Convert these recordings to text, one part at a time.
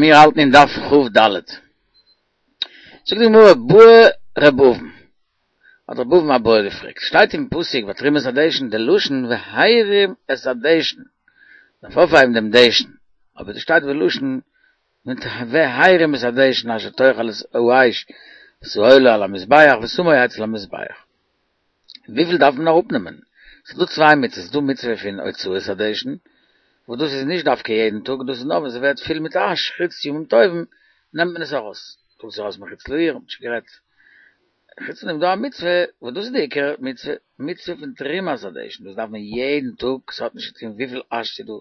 מיר האלטן אין דף כ"ד. זאגט די גמרא בעי ר' אבין, האט ר' אבין א בעיא געפרעגט, שטייט אין פסוק ביי תרומת הדשן די לשון והרים את הדשן, מ'דארף אויפהייבן דעם דשן, אבער דא שטייט בלשון והרים את הדשן אשר תאכל את האש ואת העולה על המזבח ושמו אצל המזבח. וויפיל דארף מען אראפנעמען? ס'איז דא צוויי מצוות, ס'איז דא מצוה פון הוצאת הדשן, וואס דאס איז נישט דווקא יעדן טאג, דאס איז נאר ווען ס'ווערט פיל מיט אש, חוץ ימים טובים נעמט מען עס ארויס, טראגט עס ארויס מחוץ לעיר, האט שוין גערעדט. חוץ פון דעם איז דא א מצוה, וואס דאס איז די עיקר מצוה, מצוה פון תרומת הדשן, דאס דארף מען יעדן טאג, ס'האט נישט צו טון וויפיל אש ס'איז דא,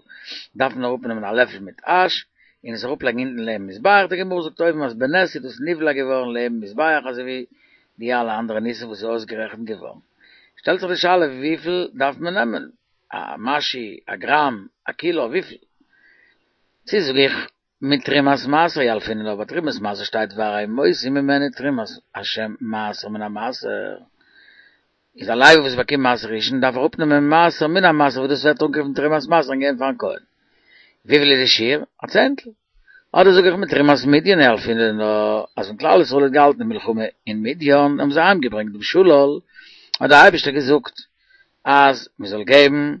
דארף מען אראפנעמען א לעפל מיט אש, און עס אראפלייגן אונטן לעבן מזבח, די גמרא זאגט אויבן אז בנס איז דאס נבלע געווארן לעבן מזבח אזוי ווי די אלע אנדערע ניסים וואס איז אויסגערעכנט געווארן. שטעלט זיך די שאלה וויפיל דארף מען נעמען? א משהו? א גראם? א קילא? וויפיל? צו זאג איך מתרומת מעשר ילפינן לה, ביי תרומת מעשר שטייט והרמותי ממנו תרומת השם מעשר מן המעשר, איז א לוי וואס באקומט מעשר ראשון דארף אראפנעמען מעשר מן המעשר וואס דאס ווערט אנגערופן תרומת מעשר און געבן פארן כהן. וויפיל איז די שיעור? א צענטל. אדער זאג איך מתרומת מדין ילפינן לה, אז ווען כלל ישראל האט געהאלטן די מלחמה אין מדין האבן זיי אהיימגעברענגט דעם שלל, האט דער אייבערשטער געזאגט אז מען זאל געבן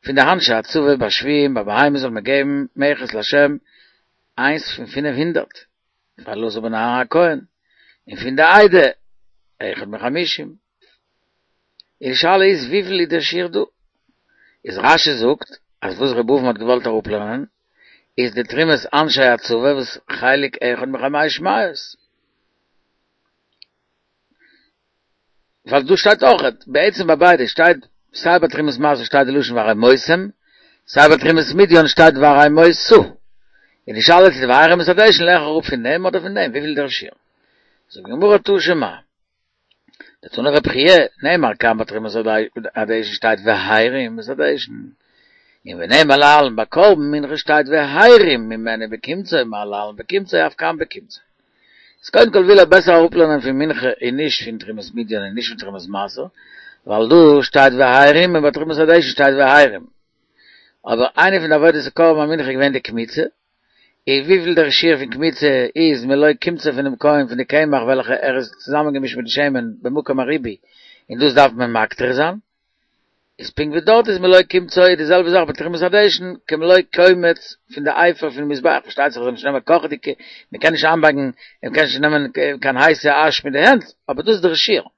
פון די אנשי הצבא ביי שבויים ביי בהמות זאל מען געבן מכס להשם איינס פון פינף הונדערט פאר אלעזר בן אהרן הכהן, און פון די עדה אחד מחמישים. און די שאלה איז וויפיל איז דער שיעור דא? איז רש"י זאגט אז וואס ר' אבין האט געוואלט אראפלערנען איז די תרומת אנשי הצבא וואס חלק אחד מחמש מאות. ווייל דא שטייט אויך, בעצם ביי ביידע שטייט סיי ביי תרומת מעשר שטייט די לשון והרמותם, סיי ביי תרומת מדין שטייט והרמותו. און די שאלה איז צו די והרים את הדשן לערן איך אראפ פון דעם אדער פון דעם, וויפיל איז דער שיעור? זאגט די גמרא תא שמע. דתני רבי חייא, נאמר כאן ביי תרומת הדשן שטייט והרים את הדשן, און ונאמר להלן ביי קרבן מנחה שטייט והרים ממנו בקומצו, מה להלן בקומצו אף כאן בקומצו. איז קודם כל וויל ער בעסער אראפלערנען פון מנחה און נישט פון תרומת מדין און נישט פון תרומת מעשר, ווייל דא שטייט והרים און ביי תרומת הדשן שטייט והרים. אבער איינע פון די עבודות קרבן המנחה איז געווען די קמיצה, און וויפיל דער שיעור פון קמיצה איז מלא קומצו פונעם כהן פון די קמח וועלכע ער איז צוזאמענגעמישט מיט די שמן במקום הריבוי און דאס דארף מען מקטיר זיין, איז פונקט ווי דארט איז מלא קומצו איז די זעלבע זאך ביי תרומת הדשן כמלא קומץ פון די אפר פון מזבח, פארשטייט זיך זאל נישט נעמען קאכעדיגע, מען קען נישט איינבאקן, מען קען נישט נעמען קיין הייסע אש מיט די הענט, אבער דאס איז דער שיעור.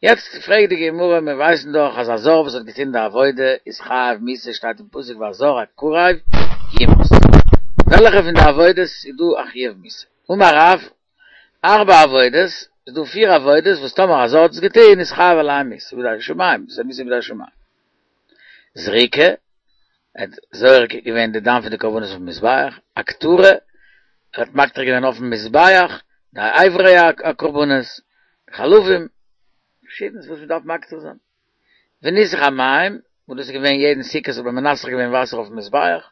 יעצט פרעגט די גמרא, מיר ווייסן דאך אז א זר וואס האט געטון די עבודה איז חייב מיתה, שטייט אין פסוק והזר הקרב יומת, וועלכע פון די עבודות איז דא א חיוב מיתה? אמר רב, ארבע עבודות, איז דא פיר עבודות וואס טאמער א זר האט עס געטון איז חייב עליהם מיתה בידי שמים, דאס איז מיתה בידי שמים. זריקה, ער האט זורק געווען די דם פון די קרבנות אויפן מזבח, הקטרה, ער האט מקטיר געווען אויפן מזבח די אברי הקרבנות, חלבים, פארשידענס וואס מען דארף מקטיר זיין. וניסוך המים, וואס דאס איז געווען יעדן סוכות האט מען מנסך געווען וואסער אויפן מזבח,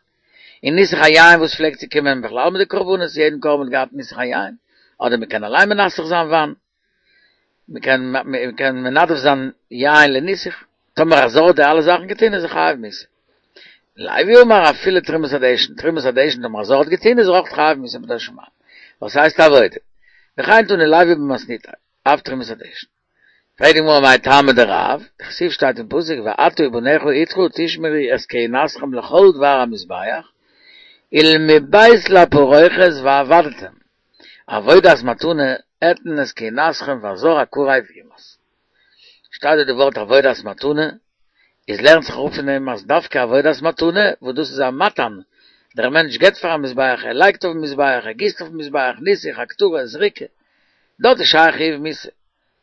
און ניסוך היין וואס פלעגט צו קומען בכלל מיט די קרבנות, יעדן קרבן האט געהאט ניסוך היין, אדער מען קען אליין מנסך זיין וויין, מען קען מען קען מנדב זיין יין לניסוך, טאמער א זר האט די אלע זאכן געטון איז ער חייב מיתה. לוי אמר אפילו תרומת הדשן, תרומת הדשן טאמער א זר האט געטון איז ער אויך חייב מיתה בידי שמים, ווייל ס'הייסט עבודה. וכן תני לוי במתניתיה, אף תרומת הדשן. פרעגט די גמרא מאי טעמא דרב, דכתיב שטייט אין פסוק ואתה ובניך אתך תשמרו את כהונתכם לכל דבר המזבח, ולמבית לפרוכת ועבדתם, עבודת מתנה אתן את כהונתכם והזר הקרב יומת. שטייט דא די ווארט עבודת מתנה, איז לערנט זיך אראפ פון דעם אז דווקא עבודת מתנה, וואס דאס איז א מתן, דער מענטש געבט פארן מזבח, ער לייגט אויפן מזבח, ער גיסט אויפן מזבח, ניסוך, הקטרה, זריקה, דארט איז שייך חיוב מיתה.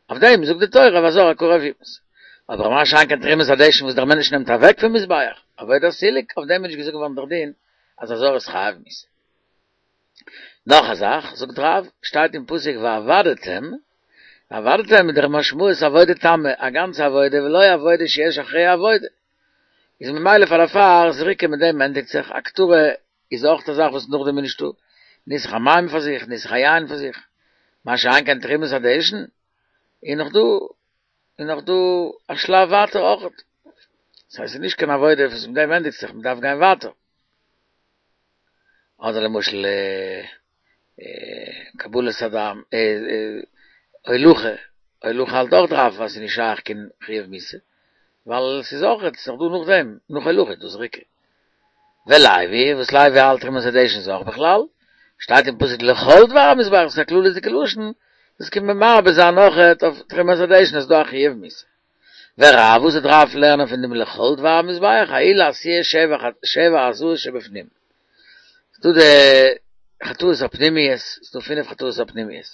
אויף דעם זאגט די תורה והזר הקרב יומת. אבער מה שאין כן תרומת הדשן וואס דער מענטש נעמט אוועק פון מזבח, עבודת סילוק, אויף דעם איז נישט געזאגט געווארן דער דין אז א זר איז חייב מיתה. נאך א זאך, זאגט רב, שטייט אין פסוק ועבדתם, ועבדתם איז דער משמעות עבודה תמה, א גאנצע עבודה ולא עבודה שיש אחריה עבודה. איז ממילא פאר דערפאר זריקה מיט דעם ענדיגט זיך, הקטרה איז אויך א זאך וואס נאכדעם איז נישטא, ניסוך המים פאר זיך, ניסוך היין פאר זיך, מה שאין כן תרומת הדשן, איז נאך דא, איז נאך דא א שלב ווייטער אויך. ס'הייסט ס'איז נישט קיין עבודה וואס מיט דעם ענדיגט זיך, מ'דארף גיין ווייטער. אדער למשל קבלת הדם, הולכה, הולכה האלט אויך רב אז ס'איז נישט שייך קיין חיוב מיתה, ווייל ס'איז אויך, ס'איז דאך דא נאכדעם, נאך הולכה איז דא זריקה. ולוי, וואס לוי האלט תרומת הדשן איז אויך בכלל, שטייט אין פסוק לכל דבר המזבח, ס'איז א כללית'דיגע לשון, דאס קומט מען מרבה זיין אויכעט אויף תרומת הדשן אז ס'איז דא א חיוב מיתה. ורב, וואס וועט רב לערנען פון דעם לכל דבר המזבח, ההוא לעשיית שבע הזאות שבפנים. ס'דא די חטאות הפנימיות, ס'דא פינף חטאות הפנימיות.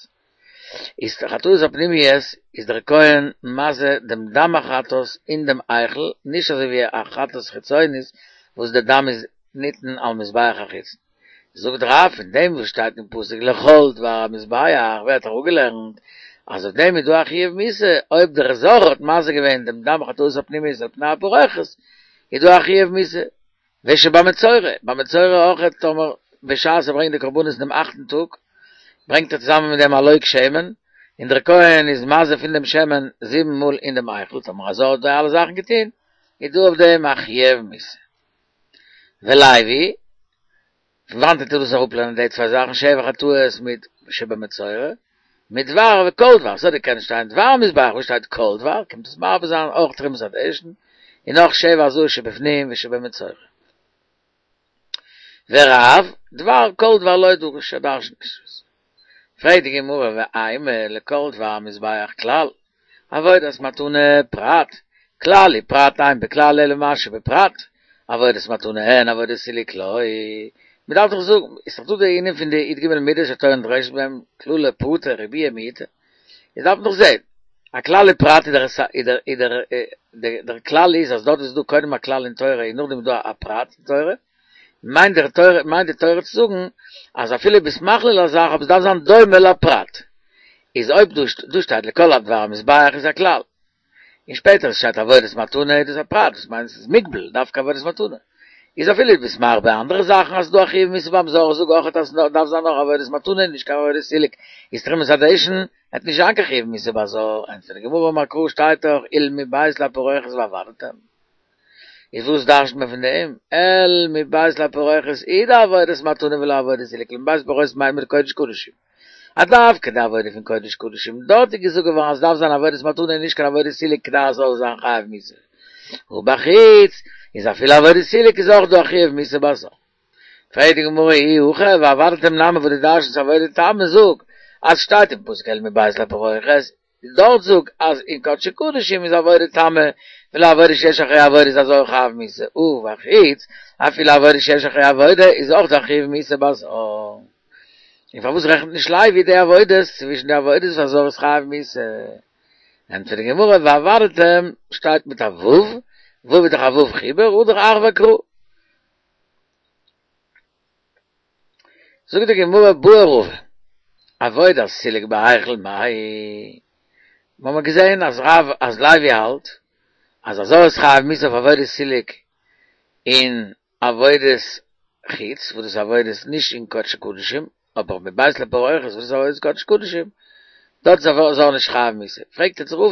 איז די חטאות הפנימיות איז דער כהן מזה דעם דם החטאת אין דעם היכל, נישט אזוי ווי א חטאת חיצונית וואס די דם איז ניתן על מזבח החיצון. זאגט רב פון דעם וואס שטייט אין פסוק לכל דבר המזבח ווערט אראפגעלערנט אז אויף דעם איז דא א חיוב מיתה, אויב דער זר האט מזה געווען דעם דם חטאת הפנימיות על פני הפרוכת איז דא א חיוב מיתה. ושבמצורע, ביי מצורע אויך טאמער בשעת ער ברענגט די קרבנות אין דעם אכטן טאג, ברענגט ער צוזאמען מיט דעם א לוג שמן, און דער כהן איז מזה פון דעם שמן זיבן מאל אין דעם היכל, טאמער א זר האט די אלע זאכן געטון, איז דא אויף דעם א חיוב מיתה. ולוי, פון וואנעט טוט דאס אראפלערנען די צוויי זאכן, שבע חטאות מיט שבמצורע, מדבר וכל דבר, ס'האט געקענט שטיין דבר המזבח, וואס שטייט כל דבר, קומט עס מרבה זיין אויך תרומת הדשן, און נאך שבע הזאות שבפנים ושבמצורע. ורב, דבר כל דבר לא דריש, ער דרש'נט נישט דאס. פרעגט די גמרא ואימא לכל דבר המזבח כלל, עבודת מתנה פרט, כלל ופרט אין בכלל אלא מה שבפרט, עבודת מתנה אין עבודת סילוק לא. מען דארף דאך זאגן, איז דאך דא די ענין פון די י"ג מידות שהתורה נדרשת בהם, כללא פרטא ריבויא מיעוטא, איז דארף מען דאך זען, א כלל ופרט איז דער איז דער דער כלל איז אז דארט איז דא קודם א כלל אין תורה און נאכדעם איז דא א פרט אין תורה, מיינט דער תורה מיינט די תורה צו זאגן אז אפילו ביסט מכליל א זאך אבער עס דארף זיין דומה לפרט, איז אויב דא דא שטייט לכל הדבר המזבח איז א כלל, און שפעטער עס שטייט עבודת מתנה איז דאס א פרט, דאס מיינט עס איז מוגבל דווקא עבודת מתנה, איז אפילו ביסט מרבה אנדערע זאכן אז ס'דא א חיוב מיתה ביים זר זאג אויכעט אז דארף זיין נאר עבודת מתנה נישט קיין עבודת סילוק, איז תרומת הדשן וועט נישט זיין קיין חיוב מיתה ביי זר, ענטפערט די גמרא אמר קרא שטייט דאך אל מבית לפרוכת ועבדתם. איז וואס דרש'נט מען פון דעם? אל מבית לפרוכת איז די עבודת מתנה ולא עבודת סילוק, מבית לפרוכת מיינט מען די קודש קדשים. אז דווקא די עבודה פון קודש קדשים, דארט איז געזאגט געווארן אז עס דארף זיין עבודת מתנה און נישט קיין עבודת סילוק כדי עס זאל זיין חייב מיתה. ובחוץ, איז אפילו עבודת סילוק איז אויך דא א חיוב מיתה ביי זר. פרעגט די גמרא אי הכי ועבדתם נמי וואס דו דרש'נסט עבודה תמה זאג אז שטייט אין פסוק אל מבית לפרוכת דארט זאג אז אין קדשי קדשים איז עבודה תמה ולא עבודה שיש אחריה עבודה איז א זר חייב מיתה ובחוץ אפילו עבודה שיש אחריה עבודה איז אויך דא חיוב מיתה בזר. און פארוואס רעכנט נישט לוי די עבודות צווישן די עבודות וואס א זר איז חייב מיתה? ענטפערט די גמרא ועבדתם שטייט מיט א ו', ו' איז דאך א ו' חיבור, הדר אחוי קרא. זאגט די גמרא בעי רבא, עבודת סילוק בהיכל מאי, מיר האבן געזען אז רב אז לוי האלט אז א זר איז חייב מיתה אויף עבודת סילוק און עבודת חוץ וואס דאס איז עבודת נישט אין קדשי קדשים, אבער מבית לפרוכת וואס איז עבודת קדשי קדשים, דארט איז א זר נישט חייב מיתה, פרעגט יעצט רבא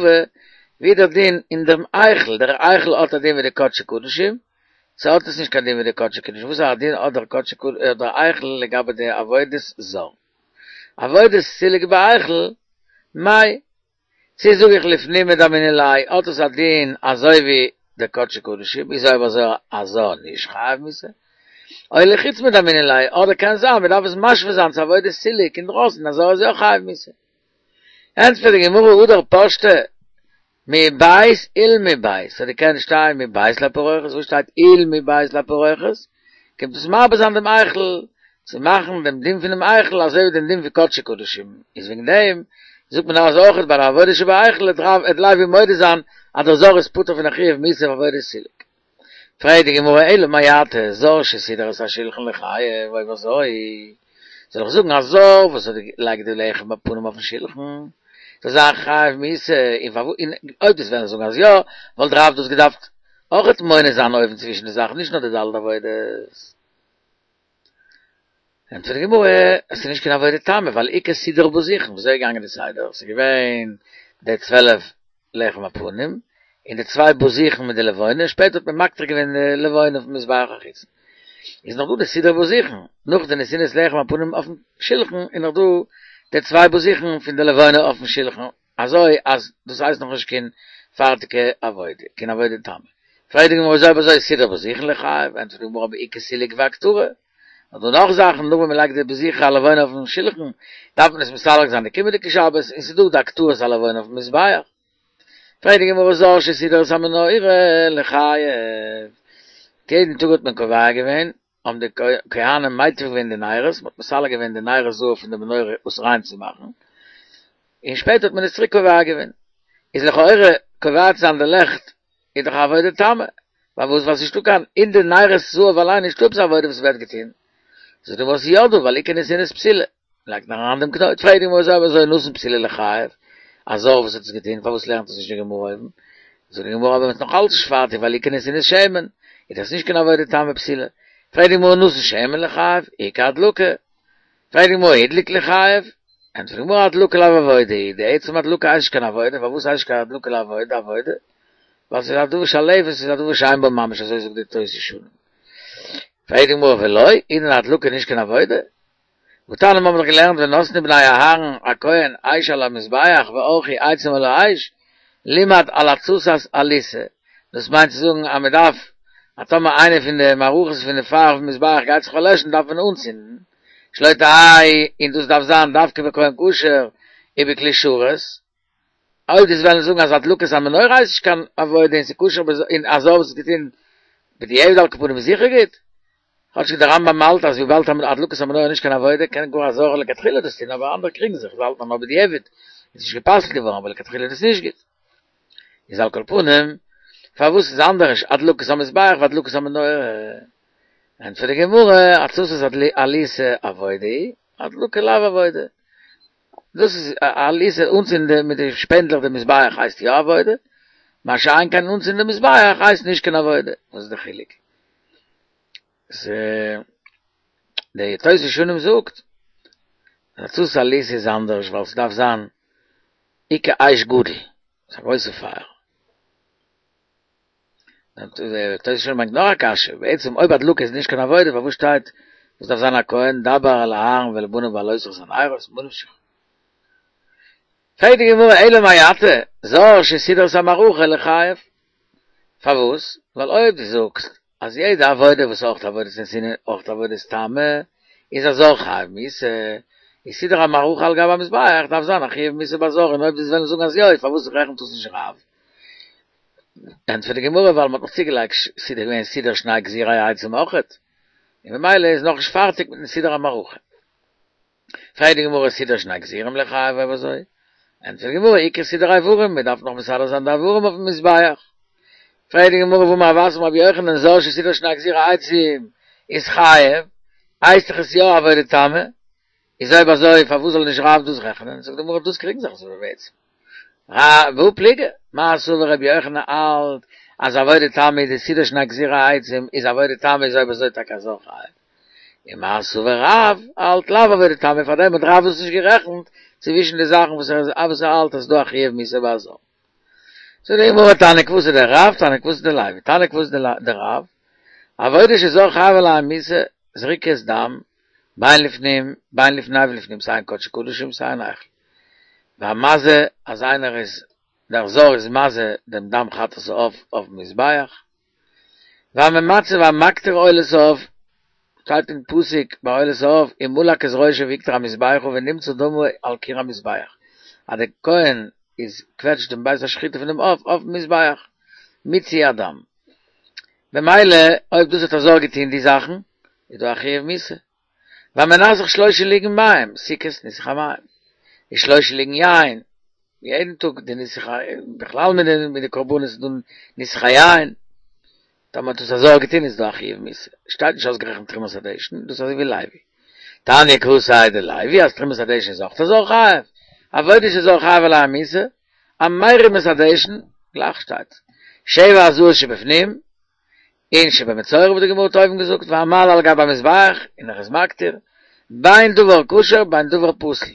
ווי איז דער דין אין דעם היכל, דער היכל האט א דין ווי די קדשי קדשים, צו האט עס נישט קיין דין ווי די קדשי קדשים, וואס א דין האט דער קדשי קדשים דער היכל לגבי די עבודת זר? עבודת סילוק בהיכל, מאי? צו זאג איך לפנים מדמינן ליה האט עס א דין אזוי ווי די קדשי קדשים, איז אויב אזוי א זר נישט חייב מיתה? או לחוץ מדמינן ליה, אדער קען זיין מען דארף עס משווה זיין צו עבודת סילוק אינדרויסן א זר איז יא חייב מיתה. ענטפערט די גמרא הדר פשטה מבית ולמבית, ס'האט געקענט שטיין מבית לפרוכת, וואס שטייט ולמבית לפרוכת? קומט עס מרבה זיין דעם היכל, צו מאכן דעם דין פונעם היכל אזוי ווי דעם דין פון קדשי קדשים, איז וועגן דעם זאגט מען אז אויך ביי די עבודה שבהיכל וועט לוי מודה זיין אז דער זר איז פטור פון א חיוב מיתה אויף עבודת סילוק. פרעגט די גמרא אלא מעתה זר שסידר את השולחן ליחייב, אויב אזוי זאל איך זאגן א זר וואס האט געלייגט די לחם הפנים אויפן שולחן זאל זיין חייב מיתה, און אויב דו'סט וועלן זאגן אז יא, וואלט רב דאס געדארפט אויכעט מונה זיין אויבן צווישן די זאכן נישט נאר די ד' עבודות. ענטפערט די גמרא, עס איז נישט קיין עבודה תמה, ווייל איכא סידור בוזיכין, ווי אזוי איז געגאנגען די סדר? עס איז געווען די 12 לחם הפנים, און די צוויי בוזיכין מיט די לבונה, שפעטער האט מען מקטיר געווען די לבונה אויפן מזבח החיצון. איז נאך דא די סידור בזיכין, נאך די נתינת לחם הפנים אויפן שלחן איז נאך דא די צוויי בזיכין פון די לבונה אויפן שלחן, אזוי אז דאס הייסט נאך נישט קיין פארטיגע עבודה, קיין עבודה תמה. פרעגט די גמרא אויב אזוי סידור בזיכין ליחייב, ענטפערט די גמרא איכא סילוק והקטרה, נאך דא נאך זאכן, נאך ווען מען לייגט די בזיכי הלבונה אויפן שלחן, דארף מען עס מסלק זיין די קומענדיגע שבת, און ס'איז דא די הקטרת הלבונה אויפן מזבח. פרעגט די גמרא זר שסידר את המנורה ליחייב, יעדן טאג האט מען קובע געווען, האבן די כהנים מיטיב געווען די נרות, מ'האט מסלק געווען די נרות זהב פון די מנורה עס ריין צו מאכן, און שפעטער האט מען עס צוריק קובע געווען. איז לכאורה קובע צו זיין די לעכט איז דאך א עבודה תמה, פארוואס ווייל ס'נישטא קיין אין די נרות זהב אליין נישטא עפעס א עבודה וואס ווערט געטון, זאגט די גמרא ס'איז יא דא ווייל איכא נתינת פתילה, לייגט מען אריין דעם קנויט, פרעגט די גמרא אויב אזוי נתן פתילה ליחייב, א זר וואס האט עס געטון פארוואס לערנט עס נישט די גמרא אויבן, זאגט די גמרא אבער מ'איז נאך אלץ נישט פארטיג ווייל איכא נתינת שמן, איז דאס נישט קיין עבודה תמה פתילה, פרעגט די גמרא נתן שמן ליחייב, איכא הדלקה, פרעגט די גמרא הדליק ליחייב, ענטפערט די גמרא הדלקה לאו עבודה היא, די עצם הדלקה הייסט נישט קיין עבודה, פארוואס הייסט נישט קיין הדלקה לעבודה עבודה? ווייל ס'איז א דבר שלהבת, ס'איז א דבר שאין בו ממש, אזוי זאגט די תוס' ישנים. פרעגט די גמרא ולא, איז דען הדלקה נישט קיין עבודה? והתניא מיר האבן דאך געלערנט ונתנו בני אהרן הכהן אש על המזבח וערכו עצים על האש, לימד על התסת אליסה, דאס מיינט צו זאגן אז מען דארף אז טאמער איינע פון די מערכות פון די פייער אויפן מזבח גייט זיך פארלעשן דארף מען אנצינדן, שלא תהא און דאס דארף זיין דווקא בכהן כשר ובכלי שרת, אויב דו'סט וועלן זאגן אז הדלקת המנורה הייסט נישט קיין עבודה און ס'איז כשר און א זר וואס האט געטון בדיעבד על כל פנים איז זיכער גוט, כאטשיג דער רמב"ם האלט אז וויבאלד הדלקת המנורה איז נישט קיין עבודה קען גאר א זר לכתחילה דאס טון אבער אנדערע קריגן זיך זיי האלטן אז נאר בדיעבד איז נישט גע'פסל'ט געווארן אבער לכתחילה איז דאס נישט גוט. איז על כל פנים פארוואס איז אנדערש הדלקת המזבח והדלקת המנורה? ענטפערט די גמרא התסת אליסה עבודה היא, הדלקה לאו עבודה. דאס איז אליסה אנצינדן מיט די שפענדלעך די מזבח הייסט יא עבודה, מה שאין כן אנצינדן די מזבח הייסט נישט קיין עבודה, וואס איז די חילוק? די תוס' ישנים זאגט אז התסת אליסה איז אנדערש ווייל ס'דארף זיין איכא אש גדול, ס'איז א גרויסע פייער. תוס' ישנים ברענגט נאך א קשיא, בעצם אויב הדלקה איז נישט קיין עבודה פארוואס שטייט וואס דארף זיין א כהן דבר אל אהרן ואל בניו בהעלותך את הנרות, ממה נפשך. פרעגט די גמרא אלא מעתה, זר שסידר את המערכה ליחייב. פארוואס? ווייל אויב דו זאגסט אז יעדע עבודה וואס אויך עבודת נתינה אויך עבודת תמה איז א זר חייב מיתה, איז סידור המערכה על גבי המזבח דארף זיין א חיוב מיתה ביי זר און אויב דו'סט וועלן זאגן אז יא איז פארוואס רעכנט דאס נישט רב? ענטפערט די גמרא ווייל מ'האט נאך צוגעלייגט סידור געווען סידור שני גזירי העצים אויכעט און ממילא איז נאכנישט פארטיג מיטן סידור המערכה. פרעגט די גמרא סידר שני גזירים ליחייב אויב אזוי? ענטפערט די גמרא איכא סידור איברים, מען דארף נאך מסדר זיין די איברים אויפן מזבח. פרעגט די גמרא והאמר רב אסי אמר רבי יוחנן זר שסידר שני גזירי עצים איז חייב, הייסט דאך עס יא עבודה תמה, איז אויב אזוי פארוואס זאל נישט רב דאס רעכענען? זאגט די גמרא דאס קריגן זיך אזוי בעצם. והא פליגי, מר סבר רבי יוחנן האלט אז עבודה תמה איז די סידור שני גזירי עצים איז עבודה תמה איז אויב אזוי טאקע א זר חייב. און מר סבר רב האלט לאו עבודה תמה פאר דעם האט רב עס נישט גערעכנט צווישן די זאכן וואס ער וואס ער האלט אז ס'דא א חיוב מיתה ביי א זר. זאגט די גמרא תניא כוותיה דרב תניא כוותיה דלוי תניא כוותיה דרב עבודה שזר חייב עליה מיתה זריקת דם בין לפנים בין לפני ולפנים סיי אין קדשי קדשים סיי אין היכל והמזה אז איינער איז דער זר איז מזה דעם דם חטאת העוף אויפן מזבח והממצה והמקטיר עולת העוף, שטייט אין פסוק ביי עולת העוף, ומלק את ראשו והקטיר המזבחה ונמצה דמו על קיר המזבח, אז דער כהן איז קוועטשט דעם בית השחיטה פון דעם עוף אויפן מזבח, מיצוי הדם. במילא אויב דאס האט א זר געטוהן די זאכן, איז דא א חיוב מיתה. והמנסך שלושה לוגין מים, סוכות ניסוך המים, און שלושה לוגין יין, יעדן טאג די ניסוך ה, בכלל מיט די מיט די קרבנות איז דא ניסוך היין, טאמער האט עס א זר געטון איז דא א חיוב מיתה, שטייט נישט אויסגערעכנט תרומת הדשן, דאס איז אזוי ווי לוי. תניא כוותיה דלוי אז תרומת הדשן איז אויך א זר חייב, עבודה שזר חייב עליה מיתה, המרים את הדשן, גלייך שטייט, שבע הזאות שבפנים, און שבמצורע וואס די גמרא האט אויבן געזאגט והמעלה על גבי המזבח און ער איז מקטיר, בין דבר כשר בין דבר פסול.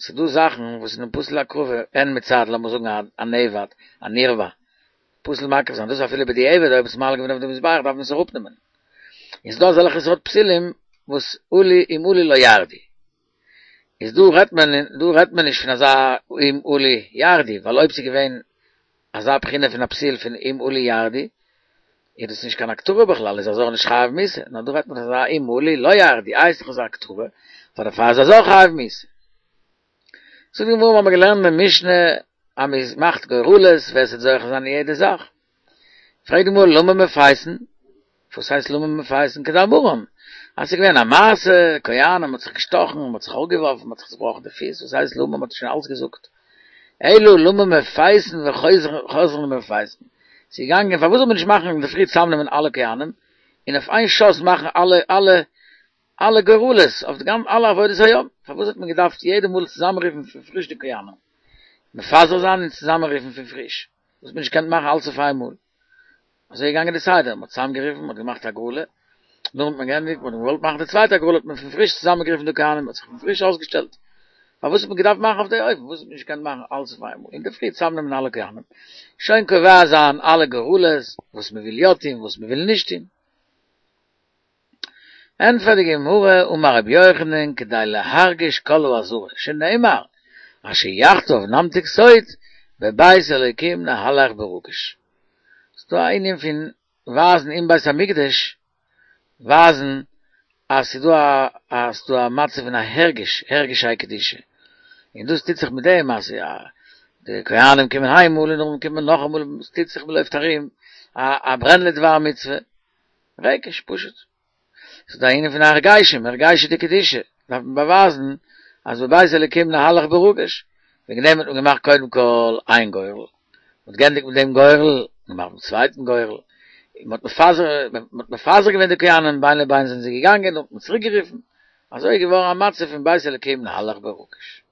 ס'איז דא זאכן וואס זענען פסול להקרבה, הן מצד לאמיר זאגן א נעבד, א נרבע, פסול מקריב זיין, דאס אפילו בדיעבד אויב עס איז מעלה געווען אויף די מזבח דארף מען עס אראפנעמען. און ס'דא אזעלכע סארט פסילים וואס עלו אם עלו לא ירדו. איז דא רעדט מען דא רעדט מען נישט פון אזא אם עלו ירדו, ווייל אויב ס'איז געווען אזא בחינה פון א פסיל פון אם עלו ירדו, איז דאס נישט קיין הקטרה בכלל, איז הזר נישט חייב מיתה, נאר דא רעדט מען פון אזא אם עלו לא ירדו, איי ס'איז דאך אזא הקטרה, פאר דערפאר איז הזר חייב מיתה. זאגט די גמרא, מ'האמיר געלערנט אין משנה אז מ'מאכט גורלות ווער ס'וועט זוכה זיין אין יעדע זאך. פרעגט די גמרא למה מפייסין? וואס הייסט למה מפייסין? כדאמרן, אז ס'איז געווען א מעשה, כהנים מ'האט זיך געשטאכן, מ'האט זיך אראפגעווארפן, מ'האט זיך צובראכן די פיס, וואס הייסט למה? מ'האט שוין אלץ געזאגט. אלא למה מפייסין וחוזרין ומפייסין. ס'איז געגאנגען, פארוואס זאל מען נישט מאכן אינדערפרי צוזאמנעמען אלע כהנים, און אויף איין שאס מאכן אלע אלע אלע גורלות אויף די גאנ אלע עבודות היום, פארוואס האט מען געדארפט יעדע מאל צוזאמענרופן פון פריש די כהנים? מפזר זיין און צוזאמענרופן פון פריש, וואס האט מען נישט געקענט מאכן אלץ אויף איין מאל? אזוי איז געגאנגען די סדר, מען האט צוזאמגערופן, מען האט געמאכט הגרלה, נאכדעם האט מען געענדיגט, מען האט געוואלט מאכן די צווייטע הגרלה האט מען פון פריש צוזאמענגערופן די כהנים, מען האט זיך פון פריש אויסגעשטעלט. פארוואס האט מען געדארפט מאכן אויף די אופן? פארוואס האט מען נישט געקענט מאכן אלץ אויף איין מאל? אינדערפרי צוזאמנעמען אלע כהנים, שוין קובע זיין אלע גורלות, וואס מען וויל יא טון, וואס מען וויל נישט טון. ענטפערט די גמרא, אמר רבי יוחנן, כדי להרגיש כל העזרה, שנאמר, אשר יחדיו נמתיק סוד, בבית אלוקים נהלך ברגש. ס'דא א ענין פון ווייזן אין בית המקדש, ווייזן אז ס'דא א אז ס'דא א מצב פון א הרגש, הרגשי קדושה, און דאס טוט זיך מיט דעם אז די כהנים קומען איינמאל און נאכדעם קומט מען נאכאמאל, ס'טוט זיך מ'לויפט ארום, א ברען לדבר מצוה. רגש, פשוט. ס'איז דא א ענין פון הרגשים, הרגשי דקדושה, דארף מען באווייזן אז בבית אלוקים נהלך ברגש, וועגן דעם האט מען געמאכט קודם כל איין גורל, מ'האט גענדיגט מיט דעם גורל, געמאכט דעם צווייטן גורל, און מ'האט מפזר, מ'האט מפזר געווען די כהנים, בין לבין זענען זיי געגאנגען, נאכדעם האט מען צוריק גערופן, אזוי איז געווארן א מצב פון בית אלוקים נהלך ברגש.